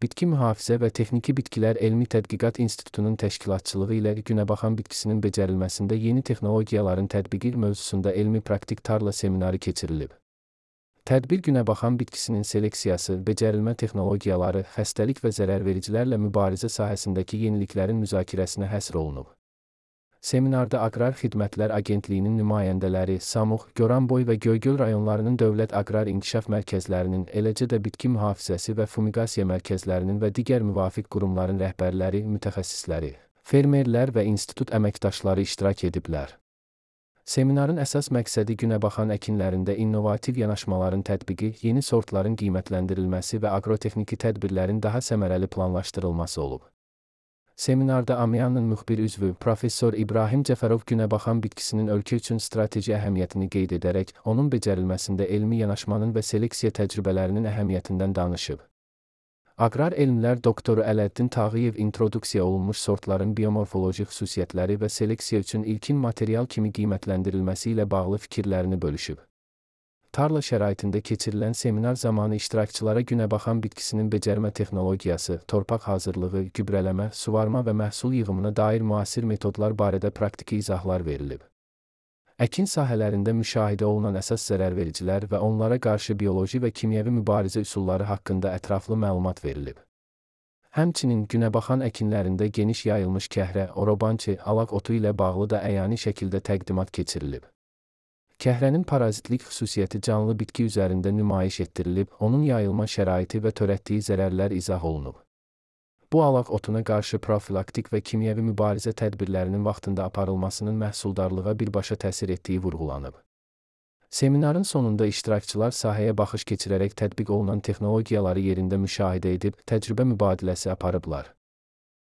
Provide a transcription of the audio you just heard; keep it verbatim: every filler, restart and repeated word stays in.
Bitki Mühafizə və Texniki Bitkilər Elmi Tədqiqat İnstitutunun təşkilatçılığı ilə günəbaxan bitkisinin becərilməsində yeni texnologiyaların tətbiqi mövzusunda elmi-praktik tarla seminarı keçirilib. Tədbir günəbaxan bitkisinin seleksiyası, becərilmə texnologiyaları, xəstəlik və zərərvericilərlə mübarizə sahəsindəki yeniliklərin müzakirəsinə həsr olunub. Seminarda Aqrar Xidmətlər Agentliyinin nümayəndələri, Samux, Goranboy və Göygöl rayonlarının Dövlət Aqrar İnkişaf Mərkəzlərinin, eləcə də bitki mühafizəsi və fumigasiya mərkəzlərinin və digər müvafiq qurumların rəhbərləri, mütəxəssisləri, fermerlər və institut əməkdaşları iştirak ediblər. Seminarın əsas məqsədi günəbaxan əkinlərində innovativ yanaşmaların tətbiqi, yeni sortların qiymətləndirilməsi və aqrotexniki tədbirlərin daha səmərəli planlaşdırılması olub. Seminarda AMİANın müxbir üzvü, Professor İbrahim Cəfərov günəbaxan bitkisinin ölkə üçün strateji əhəmiyyətini qeyd edərək, onun becərilməsində elmi yanaşmanın və seleksiya təcrübələrinin əhəmiyyətindən danışıb. Aqrar elmlər doktoru Ələddin Tağıyev introduksiya olunmuş sortların biomorfoloji xüsusiyyətləri və seleksiya üçün ilkin material kimi qiymətləndirilməsi ilə bağlı fikirlərini bölüşüb. Tarla şəraitində keçirilən seminar zamanı iştirakçılara günəbaxan bitkisinin becərmə texnologiyası, torpaq hazırlığı, gübrələmə, suvarma və məhsul yığımına dair müasir metodlar barədə praktiki izahlar verilib. Əkin sahələrində müşahidə olunan əsas zərərvericilər və onlara qarşı bioloji və kimyəvi mübarizə üsulları haqqında ətraflı məlumat verilib. Həmçinin günəbaxan əkinlərində geniş yayılmış kəhrə, orobançı, alaq otu ilə bağlı da əyani şəkildə təqdimat keçirilib. Kəhrənin parazitlik xüsusiyyəti canlı bitki üzərində nümayiş etdirilib, onun yayılma şəraiti və törətdiyi zərərlər izah olunub. Bu alaq otuna qarşı profilaktik və kimyəvi mübarizə tədbirlərinin vaxtında aparılmasının məhsuldarlığa birbaşa təsir etdiyi vurğulanıb. Seminarın sonunda iştirakçılar sahəyə baxış keçirərək tətbiq olunan texnologiyaları yerində müşahidə edib, təcrübə mübadiləsi aparıblar.